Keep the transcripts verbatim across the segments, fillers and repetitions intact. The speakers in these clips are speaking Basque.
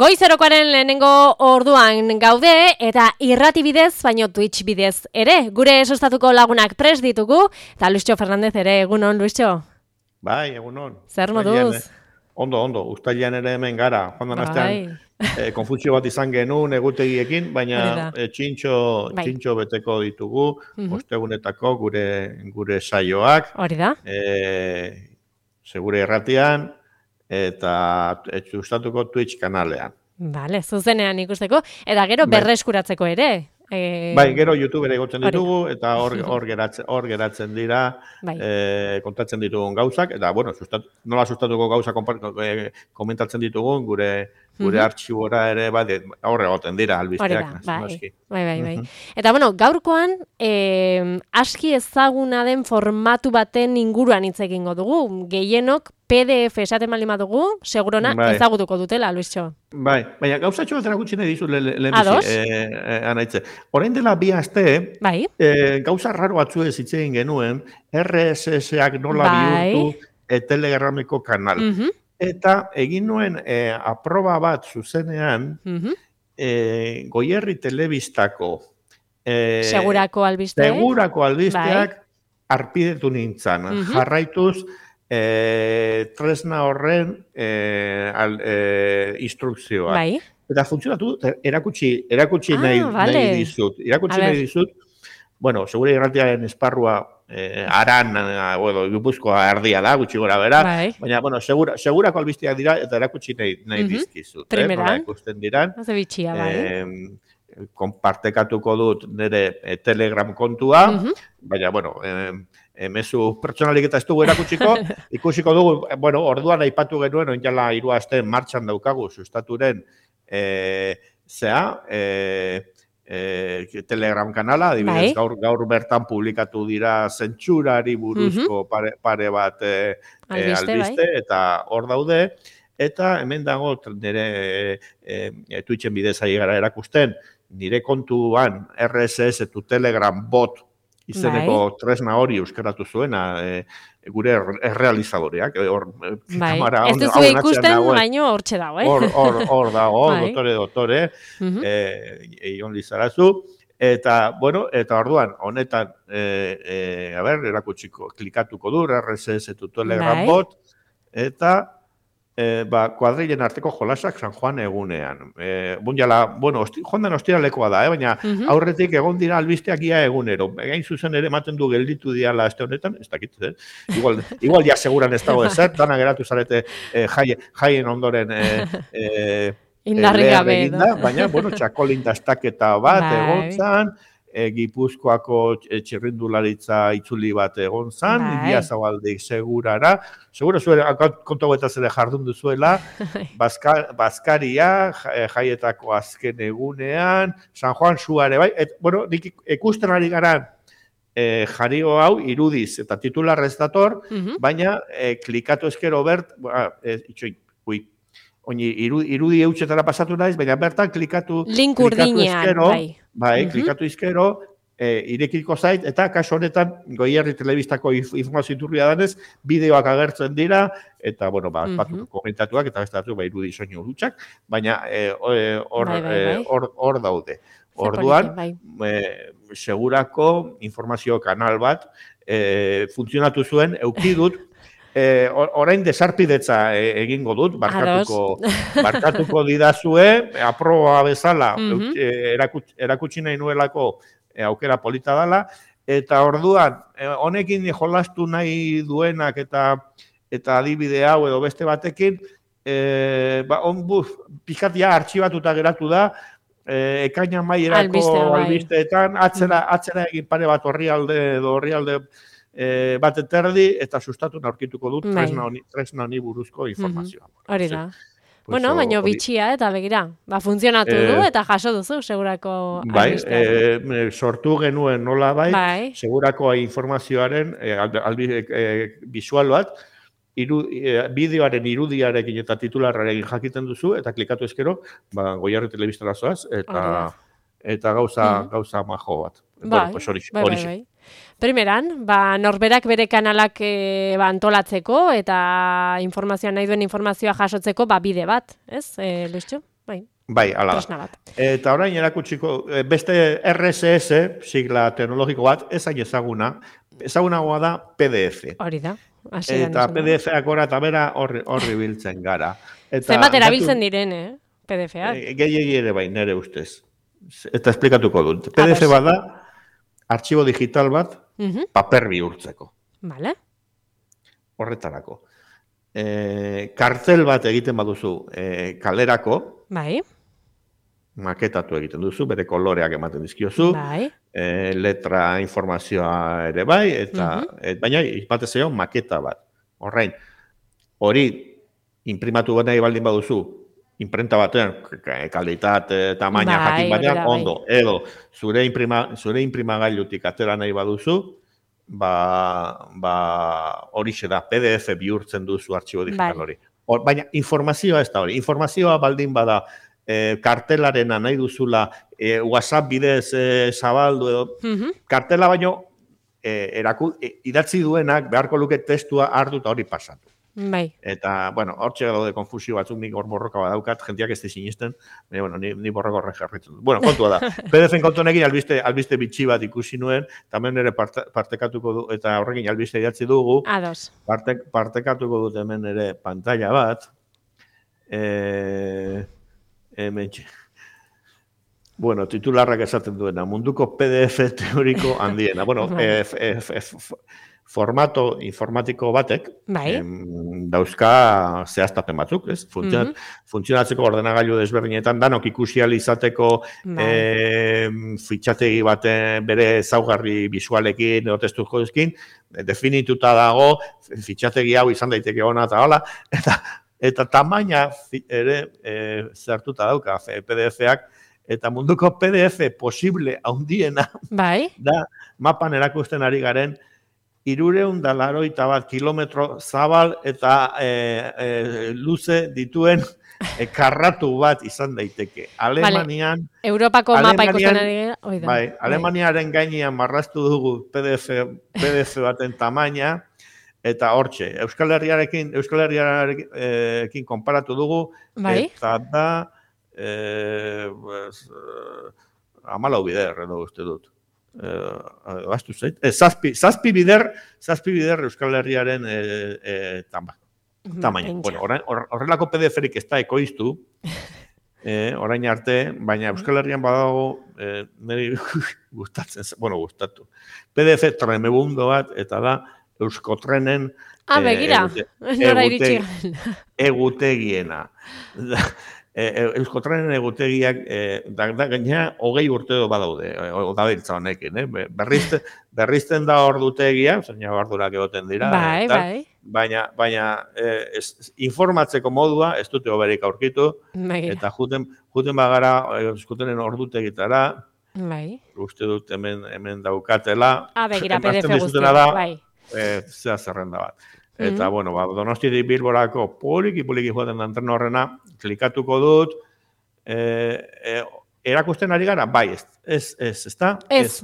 Goizerokoaren lehenengo orduan gaude eta irrati bidez, baino Twitch bidez ere. Gure sustatuko lagunak prest ditugu, eta Luisio Fernandez ere, egunon, Luisio? Bai, egunon. Zer moduz? Ondo, ondo, ustailean ere hemen gara. Joan den astean, eh, konfusio bat izan genuen egutegiekin, baina eh, txintxo, bai. txintxo beteko ditugu, uh-huh. ostegunetako gure, gure saioak. Hori da. Eh, segure erratian, eta sustatuko Twitch kanalean. Vale, zuzenean ikusteko, eta gero bai. berreskuratzeko ere. E... Bai, gero YouTube ere gotzen ditugu, eta hor, hor, geratzen, hor geratzen dira, bai. e, kontatzen ditugun gauzak, eta bueno, sustat, nola sustatuko gauza e, komentatzen ditugun, gure gure uh-huh. artxibora ere, bai, aurre goten dira, albisteak. Bai, bai, bai, bai. Uh-huh. Eta bueno, gaurkoan, eh, aski ezaguna den formatu baten inguruan hitz egingo dugu, gehienok P D F esaten baldin badugu, segurona bai. ezagutuko dutela, Luisio. Bai, baina gauzatxo bat erakutsi nahi dizut lehenbizi, eh, eh, anaitze. Orain dela bi aste, bai. eh, gauza raro batzu ez hitz egin genuen, R S S-ak nola bai. bihurtu e, Telegrameko kanal. Uh-huh. Eta egin nuen eh, aproba bat zuzenean, uh-huh. eh, Goierri Telebistako eh, Segurako albisteak, Segurako albisteak bai. arpidetu nintzen. Uh-huh. Jarraituz, E, tresna horren e, al, e, instrukzioa. Bai. Eta funtzionatu, erakutsi, erakutsi ah, nahi, vale. nahi dizut. Erakutsi nahi dizut, bueno, segure irratiaren esparrua e, aran, bueno, Gipuzkoa erdia da, gutxi gora bera, bai. baina, bueno, segura, segurako albisteak dira, eta erakutsi nahi, nahi uh-huh. dizkizut. Primeran. Eh, ikusten diran. Haze bitxia, bai. E, konpartekatuko dut nire e, Telegram kontua, uh-huh. baina, bueno, e, emezu pertsonalik eta ez dugu erakutsiko, ikusiko dugu, bueno, orduan aipatu genuen, oinjala hiru aste martxan daukagu, sustaturen, e, zea, e, e, Telegram kanala, adibidez, bai. gaur, gaur bertan publikatu dira zentsurari buruzko uh-huh. pare, pare bat e, albiste, albiste bai. eta hor daude, eta hemen dago nire e, e, Twitchen bidez ari gara erakusten, nire kontuan R S S tu Telegram bot izeneko bai. tresna hori euskaratu zuena e, gure errealizadoreak. Hor, bai. Ez duzu ikusten, baino hortxe dago, eh? Hor, hor, hor dago, bai. dotore, dotore, uh-huh. e, eion lizarazu. Eta, bueno, eta orduan, honetan, e, e, a ber, erakutsiko, klikatuko du, R S S tu Telegram bai. bot, eta E, ba, kuadrilen arteko jolasak San Juan egunean. E, Bunjala, bueno, osti, jondan ostiralekoa da, eh? baina uh-huh. aurretik egon dira albisteak ia egunero. Egain zuzen ere ematen du gelditu diala este honetan, ez dakit, eh? Igual, igual ja seguran ez dago ezer, dana geratu zarete eh, jaien, jaien ondoren eh, eh, indarri gabe, baina, bueno, txakolin dastaketa bat egon zan, E, Gipuzkoako txirrindularitza itzuli bat egon zan, Ibia Zabaldik segurara. Segura zuen, kontu eta zere jardun duzuela, Baska, Baskaria, jaietako azken egunean, San Juan Suare, bai? Et, bueno, nik ikusten ari garan e, jario hau irudiz eta titularrez dator, uh-huh. baina e, klikatu eskero bert, ba, e, itxoin, ui, Oini, irudi, irudi eutxetara pasatu naiz, baina bertan klikatu, link klikatu eskero, bai, bai uh-huh. klikatu izkero, e, irekiko zait, eta kaso honetan Goierri Telebistako informazio iturria danez, bideoak agertzen dira, eta, bueno, ba, uh-huh. batu komentatuak, eta bestatu, ba, irudi soinu dutxak, baina hor e, bai, bai, bai. e, daude. Orduan, bai. e, segurako informazio kanal bat, e, funtzionatu zuen, eukidut, Eh, orain desarpidetza egingo dut, barkatuko, barkatuko didazue, aproba bezala uh-huh. erakutsi, erakutsi nahi nuelako aukera polita dela, eta orduan, honekin jolastu nahi duenak eta eta adibide hau edo beste batekin, eh, ba, on buf, pixkatia artxibatuta geratu da, eh, ekaina maierako Albiste, albisteetan, atzera, atzera egin pare bat orrialde edo orrialde E, bat eterdi, eta sustatu aurkituko dut tresna honi, tresna honi buruzko informazioa. Mm-hmm. Hori da. Pues bueno, baina bitxia, eta begira, ba, funtzionatu eh, du, eta jaso duzu, segurako bai, e, sortu genuen nola bai, bai. segurako informazioaren e, albi, e, visual bat, iru, e, bideoaren irudiarekin eta titularrarekin jakiten duzu, eta klikatu eskero, ba, Goierri Telebistara zoaz, eta, eta gauza, mm-hmm. gauza majo bat. Bai, bueno, pues hori, bai, bai, bai. Primeran, ba, norberak bere kanalak e, ba, antolatzeko eta informazioa nahi duen informazioa jasotzeko ba, bide bat, ez, e, Luisio? Bai. Bai, ala da. Eta orain erakutsiko, beste R S S, sigla teknologiko bat, ez hain ezaguna, ezagunagoa da P D F. Hori da. Eta P D F-ak gora eta bera horri biltzen gara. Zenbat erabiltzen diren, eh? P D F-ak. Gehiegi ere bai, nire ustez. Eta esplikatuko dut. P D F bat da, artxibo digital bat, paper bihurtzeko. Vale. Horretarako. Kartel bat egiten baduzu kalerako, bai. Maketatu egiten duzu, bere koloreak ematen dizkiozu, bai. Letra informazioa ere bai, eta baina batez ere maketa bat. Horrein, hori imprimatu nahi baldin baduzu, imprenta batean, kalitate, tamaina jakin batean, ondo, edo zure imprimagailutik atera nahi baduzu, hori da, P D F bihurtzen duzu artxibo digital hori. Baina informazioa ez da hori, informazioa baldin bada, kartelarena nahi duzula, WhatsApp bidez zabaldu edo, kartela baino idatzi duenak beharko luke testua hartu eta hori pasatu. Bai. Eta, bueno, hortxe daude konfusio batzuk, nik hor borroka badaukat, jentiak ez sinisten, bueno, ni borroka horren jarritzen dut. Bueno, kontua da. P D F-en kontunekin albiste bitxi bat ikusi nuen, tamen ere partekatuko du, eta horrekin albiste idatzi dugu. Ados. Partekatuko dut hemen ere pantalla bat. Hementxe. Bueno, titularrak esaten duena, munduko P D F teoriko handiena. Bueno, formato informatiko batek, dauzka zehaztapen batzuk, ez? Funtzionatzeko ordenagailu desberdinetan, danok ikusial izateko fitxategi baten bere ezaugarri bisualekin, edo testuko ezkin, definituta dago, fitxategi hau izan daiteke ona eta hola, eta Eta tamaina ere zertuta dauka P D F-ak, eta munduko P D F posible handiena da mapan erakusten ari garen hirurehun eta laurogeita bat kilometro zabal eta luze dituen karratu bat izan daiteke. Alemanian... Europako mapa ikusten ari gara. Bai, Alemaniaren gainean marraztu dugu P D F baten tamaina, eta hortxe, Euskal Herriarekin, Euskal Herriarekin konparatu dugu, eta da, hamalau bider, edo uste dut. Bastu zait, zazpi bider, zazpi bider Euskal Herriaren tamaina. Horrelako P D F-erik ez da ekoiztu, orain arte, baina Euskal Herrian badago, niri gustatzen, bueno, gustatu. P D F tremebundo bat, eta da, Euskotrenen egutegiena. Euskotrenen egutegiak gaina hogei urte badaude, odabiltza honekin. Berrizten da ordutegia, zaina bardurak egoten dira, baina informatzeko modua ez dute hoberik aurkitu, eta juten bagara Euskotrenen ordutegitara, uste dut hemen daukatela, begira, P D F guztia, bai. Zea zerrenda bat. Eta, bueno, Donostiatik Bilborako poliki-poliki joaten da antren horrena, klikatuko dut, erakusten ari gara, bai, ez, ez, ez da? Ez.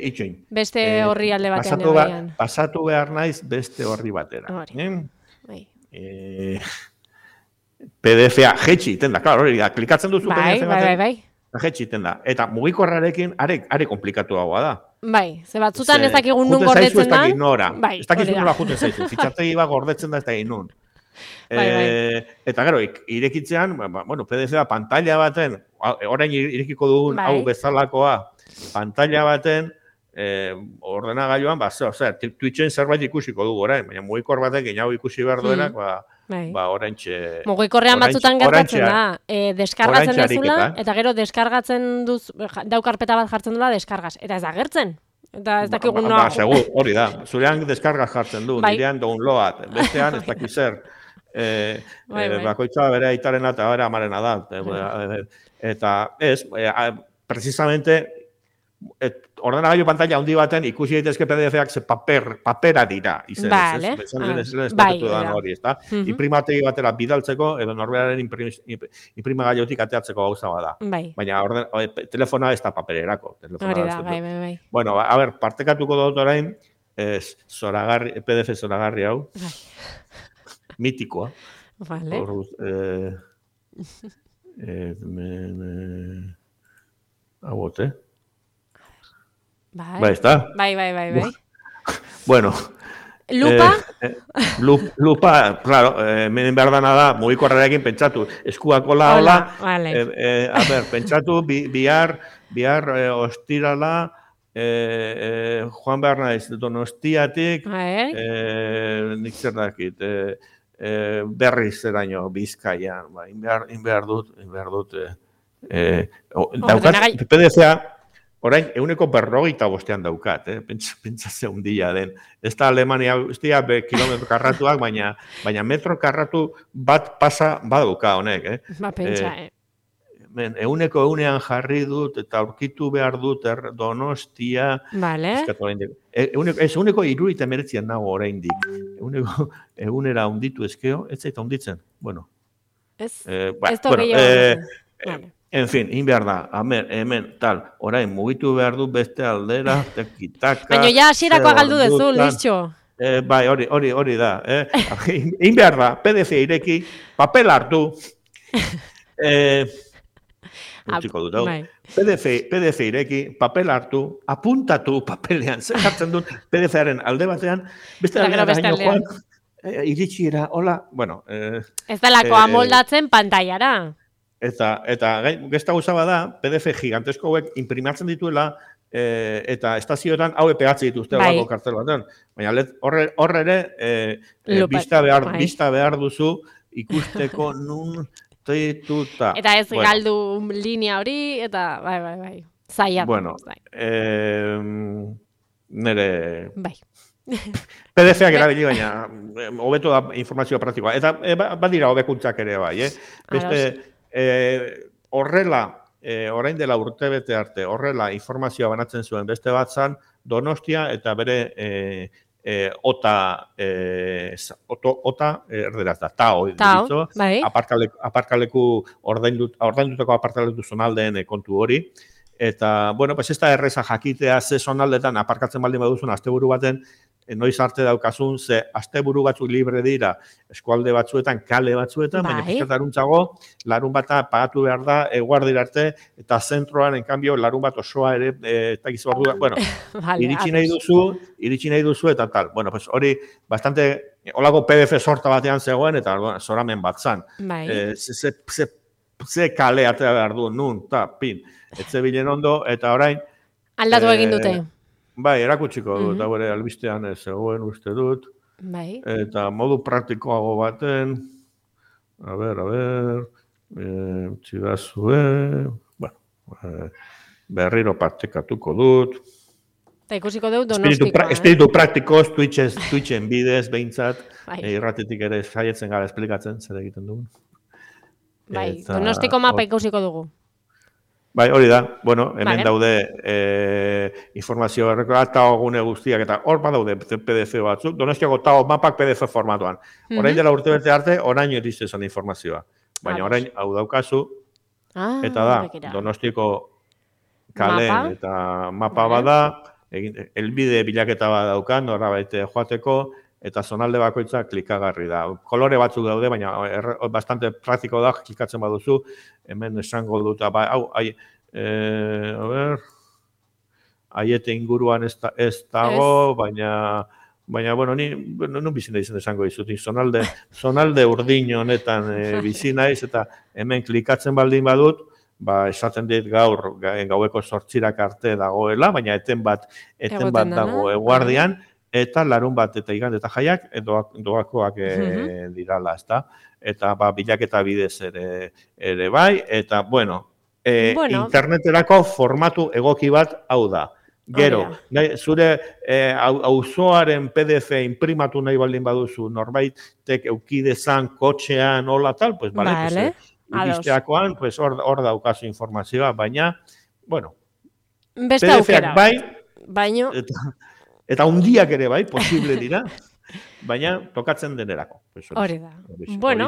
Itxoin. Beste horri alde batean. Pasatu behar naiz beste horri batera. P D F-a, jetxi, tenda, klaro, hori da, klikatzen duzu P D F batean. Bai, bai, bai. Jetxi, tenda. Eta mugikorrarekin, are komplikatu hagoa da. Bai, ze batzutan ez dakigun nun gordetzen da. Ez dakigun nola juten zaizu. Fitxategi bat gordetzen da ez dakik nun. Eta gero, irekitzean, bueno, P D F-a pantalla baten, orain irekiko dugun hau bezalakoa, pantalla baten, ordenagailuan, ba, zer, Twitchen zerbait ikusiko dugu orain, baina mugikor batek hau ikusi behar duenak, ba, orain txe... Mugikorrean batzutan gertatzen da, deskargatzen dezula, eta gero deskargatzen duz, daukarpeta bat jartzen dula, deskargaz, eta ez da gertzen. Eta ez dakigun noa... Ba, segur, hori da, zurean deskargaz jartzen du, nirean download, bestean ez dakiz zer. Bakoitza bere aitaren eta bere amarena da. Eta ez, precisamente, ordenagailu pantalla handi baten ikusi daitezke P D F-ak ze papera dira. Bale. Imprimategi batera bidaltzeko edo norberaren imprimagailutik ateatzeko gauza bada. Baina telefona ez da papererako. Hori da, bai, bai, bai. Bueno, a ber, partekatuko dut orain, P D F zoragarri hau. Mitikoa. Vale. Hemen... Hauote. Bai. Bai, ez da? Bai, bai, bai, bai. Bueno. Lupa? Eh, lup, lupa, claro, hemen behar dana da, mugikorrarekin pentsatu. Eskuak hola, hola. Vale. Eh, eh, a ber, pentsatu, bi, bihar, bihar eh, ostirala, eh, eh, Juan behar naiz, Donostiatik, eh, nik zer dakit, eh, eh, berriz zeraino, Bizkaian, ba, inbehar, inbehar dut, inbehar dut, eh, eh, o, daukat, P D F-a, orain, euneko berrogeita bostean daukat, eh? Pentsa ze hundia den. Ez da Alemania, ez dira kilometro karratuak, baina, baina metro karratu bat pasa badauka honek, eh? Ba, pentsa, eh? Men, euneko eunean jarri dut, eta aurkitu behar dut er, Donostia... Vale. E, euneko, ez, euneko irurita meretzian nago oraindik. Euneko eunera hunditu ezkeo, ez zaita hunditzen. Bueno. Ez, eh, ba, ez da bueno, gehiago. Eh, vale. En fin, in behar da, hemen, hemen, tal, orain mugitu behar du beste aldera, tekitaka... Baina ja hasierakoa galdu dezu, Luisxo. Eh, bai, hori, hori, hori da. Eh? In behar da, P D F ireki, papel hartu, eh, utziko dut, hau. P D F, P D F ireki, papel hartu, apuntatu papelean, zer jartzen dut P D F-aren alde batean, beste aldean gaino joan, eh, iritsi era, hola, bueno... Eh, ez da lako eh, amoldatzen pantailara. Eta, eta gesta gauza bada, P D F gigantesko hauek imprimatzen dituela, e, eta estazioetan hau epeatzen dituzte bai. Olako kartel batean. Baina horre, horre ere, e, e, bista, behar, bai. bista behar duzu ikusteko nun tituta. Eta ez bueno. galdu linea hori, eta bai, bai, bai. Zaiat. Bueno, bai. eh, nere... Bai. P D F-ak erabili, baina hobeto da informazioa praktikoa. Eta e, badira hobekuntzak ere bai, eh? Beste... Eh, horrela, eh, orain dela urtebete arte, horrela informazioa banatzen zuen beste bat zan, Donostia eta bere eh, eh, ota, eh, oto, ota erderaz da, tao, ditzo, bai. aparkaleku, aparkaleku ordaindutako aparkaleku zonaldeen kontu hori. Eta, bueno, pues ez da erreza jakitea ze zonaldetan aparkatzen baldin baduzun asteburu baten, noiz arte daukazun, ze asteburu batzuk libre dira eskualde batzuetan, kale batzuetan, bai. Baina pizkataruntzago, larun bata pagatu behar da, eguardira arte, eta zentroan, en cambio, larun bat osoa ere, eta gizu ordu, bueno, vale, iritsi nahi duzu, iritsi nahi duzu, eta tal. Bueno, pues hori, bastante, holako P D F sorta batean zegoen, eta bueno, zoramen bat zan. Bai. Eh, ze, ze, ze, ze kale atea behar du, nun, ta, pin, etze bilen ondo, eta orain... Aldatu egin dute. Bai, erakutsiko dut, eta bere albistean zegoen uste dut. Bai. Eta modu praktikoago baten, a ber, a ber, e, txidazue, bueno, e, berriro partekatuko dut. Eta ikusiko dut Donostikoa. Espiritu praktikoz, Twitchen bidez, behintzat, irratetik ere saietzen gara esplikatzen, zer egiten dugun. Bai, Donostiko mapa ikusiko dugu. Bai, hori da, bueno, hemen vale. daude e, informazio errekoa, tao gune guztiak, eta hor badaude P D F batzuk, Donostiako tao mapak P D F formatuan. Mm-hmm. Orain dela urte bete arte, orain irizte zen informazioa. Baina orain, hau daukazu, ah, eta da, bekera. Donostiako kale mapa? Eta mapa vale. Bada, egin, elbide bilaketa bat daukan, nora baite joateko, eta zonalde bakoitza klikagarri da. Kolore batzuk daude, baina er, bastante praktiko da, klikatzen baduzu, hemen esango dut, ba, hau, ai, eh, a ber, aiete inguruan ez, da, ez dago, es. baina, baina, bueno, ni, nun bizina izan esango dizut, zonalde, zonalde urdin honetan e, bizi naiz, eta hemen klikatzen baldin badut, ba, esaten dit gaur, gaueko zortzirak arte dagoela, baina eten bat, eten bat dago eguardian, eta larun bat eta igande eta jaiak doak, doakoak e, mm-hmm. dirala, ezta? Eta ba, bilaketa bidez ere, ere bai, eta bueno, e, bueno, interneterako formatu egoki bat hau da. Gero, oh, nahi, zure auzoaren e, P D F imprimatu nahi baldin baduzu, norbaitek eukidezan, kotxean, hola tal, pues bale, vale. Pues, iristeakoan, pues hor, hor daukazu informazioa, baina, bueno, beste aukera. Bai, baino... Eta, Eta hundiak ere bai, posible dira, baina tokatzen denerako. Hori da. Bueno,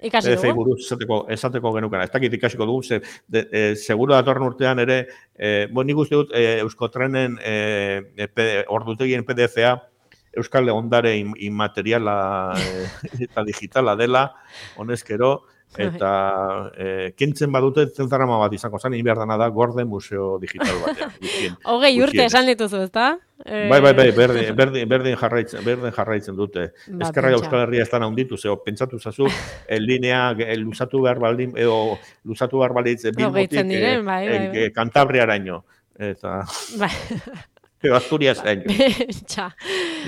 ikasi dugu. Buruz esateko, esateko genukena. Ez dakit ikasiko dugu, ze, de, e, seguro datorren urtean ere, e, bon, nik uste dut, e, Euskotrenen e, ordutegien P D F-a Euskal ondare inmateriala e, eta digitala dela, honezkero, eta e, kentzen badute zentzarama bat izango zen, egin behar dana da gorde museo digital batean. Hogei urte esan dituzu, ezta? Bai, bai, bai, berdin, berdin, berdin, jarraitzen, berdin jarraitzen dute. Ba, Ezkerra Euskal Herria ez da naunditu, zeo, pentsatu zazu, linea luzatu behar baldin, edo luzatu behar balditz Bilbotik diren, bai, bai, bai. Kantabriaraino. Eta... Bai. Edo Asturias haino. Txa.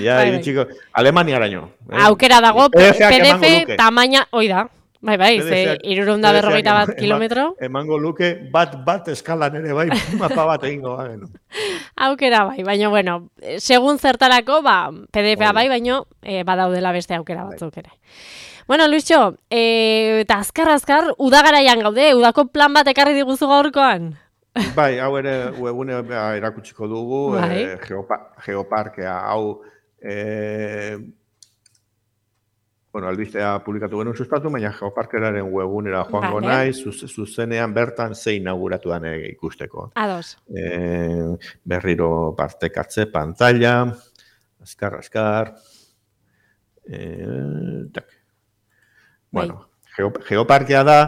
Ja, bai, txiko, Alemaniaraino. Eh? Aukera dago, P D F tamaina, oi da. Bai, bai, ze irurunda berrogeita bat kilometro. Emango luke bat bat eskalan ere, bai, mapa bat egingo. Aukera bai, baina, bueno, segun zertarako, ba, P D F-a bai, baina e, badaudela beste aukera batzuk ere. Bueno, Luisxo, e, eta azkar-azkar, udagaraian gaude, udako plan bat ekarri diguzu gaurkoan? Bai, hau ere webune erakutsiko dugu, bai. e, geopa, geoparkea, hau... E, Bueno, albistea publikatu genuen sustatu, baina Geoparkeraren webunera joango vale. Naiz, zuzenean bertan ze inauguratu dan ikusteko. Ados. E, berriro partekatze, pantalla, azkar, azkar. E, tak. Bueno, Geoparkea da,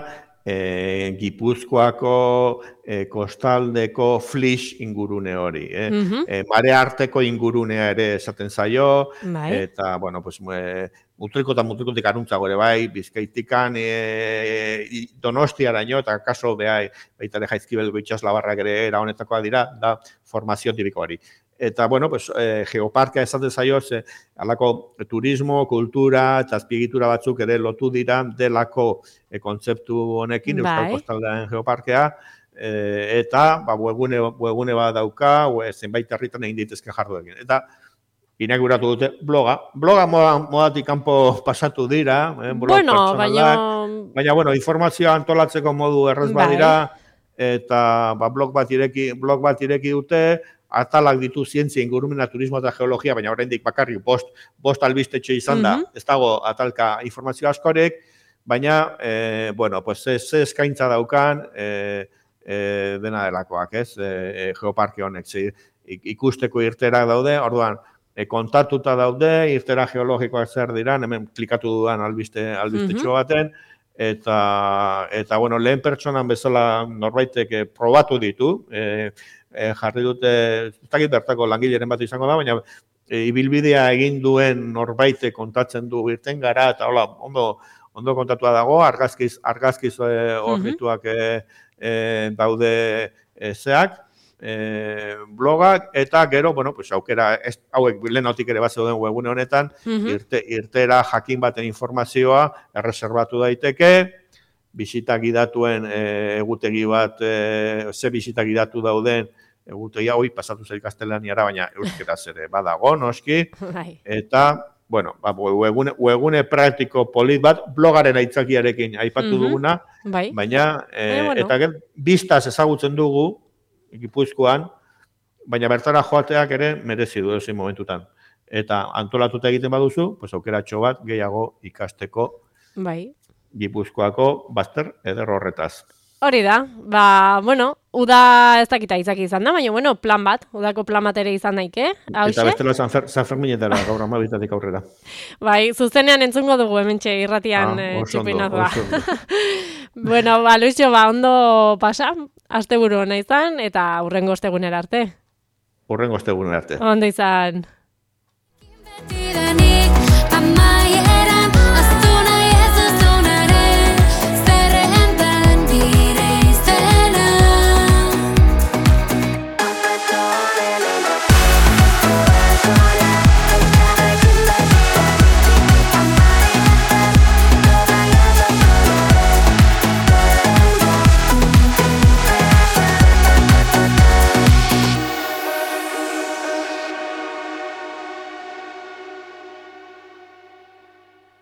e, Gipuzkoako e, kostaldeko Flix ingurune hori. Eh? Mm-hmm. e, mare arteko ingurunea ere esaten zaio, bai. Eta, bueno, pues... E, Mutriko eta mutrikotik aruntzago ere bai, Bizkaitikan, e, Donostiaraino, eta kaso behai, baita ere Jaizkibelgo itxaslabarrak ere era honetakoa dira, da formazio tipiko hori. Eta, bueno, pues, e, geoparkea esaten zaio, ze, alako turismo, kultura eta azpiegitura batzuk ere lotu dira delako e, kontzeptu honekin, bai. Euskal Kostaldean geoparkea, e, eta ba, webune, webune bat dauka, we, zenbait herritan egin ditezke jarduekin. Eta, inauguratu dute bloga. Bloga moda, modatik kanpo pasatu dira. Eh, bueno, baina... Baina, bueno, informazioa antolatzeko modu errez badira, eta ba, blog, bat ireki, blog bat ireki dute, atalak ditu zientzia, ingurumena, turismo eta geologia, baina oraindik bakarrik bost, bost albistetxe izan da, mm-hmm. ez dago atalka informazio askorek, baina, e, bueno, pues, ze, ze eskaintza daukan, e, e, dena delakoak, ez, e, geoparke honek, zi, ikusteko irterak daude, orduan, E, kontatuta daude, irtera geologikoak zer diran, hemen klikatu dudan albiste, albistetxo baten, eta, eta bueno, lehen pertsonan bezala norbaitek e, probatu ditu, e, e, jarri dute, ez dakit bertako langileren bat izango da, baina e, ibilbidea egin duen norbaitek kontatzen du irten gara, eta hola, ondo, ondo kontatua dago, argazkiz, argazkiz horrituak e, e, daude e, zeak, E, blogak, eta gero, bueno, pues, aukera, ez, hauek lehenotik ere bat zeuden webune honetan, mm-hmm. irte, irtera jakin baten informazioa erreserbatu daiteke, bisita gidatuen e, egutegi bat, e, ze bisita gidatu dauden egutegia, hoi, pasatu zer gaztelaniara, baina euskeraz ere badago, noski, eta, bueno, ba, webune, webune praktiko polit bat, blogaren aitzakiarekin aipatu mm-hmm. duguna, bai. Baina, e, e, bueno. Eta gen, biztaz ezagutzen dugu, Gipuzkoan, baina bertara joateak ere merezi du ezin momentutan. Eta antolatuta egiten baduzu, pues aukeratxo bat gehiago ikasteko bai. Gipuzkoako bazter eder horretaz. Hori da, ba, bueno, uda ez dakita izaki izan da, baina, bueno, plan bat, udako plan bat ere izan daike. Hauxe? Eta bestela San, Fer, San Ferminetara gaur amabitatik aurrera. Bai, zuzenean entzungo dugu hementxe irratian ah, txupinatua. Bueno, ba, Luisxo, ba, ondo pasa, asteburu hona izan, eta hurrengo ostegunera arte. Hurrengo ostegunera arte. Ondo izan.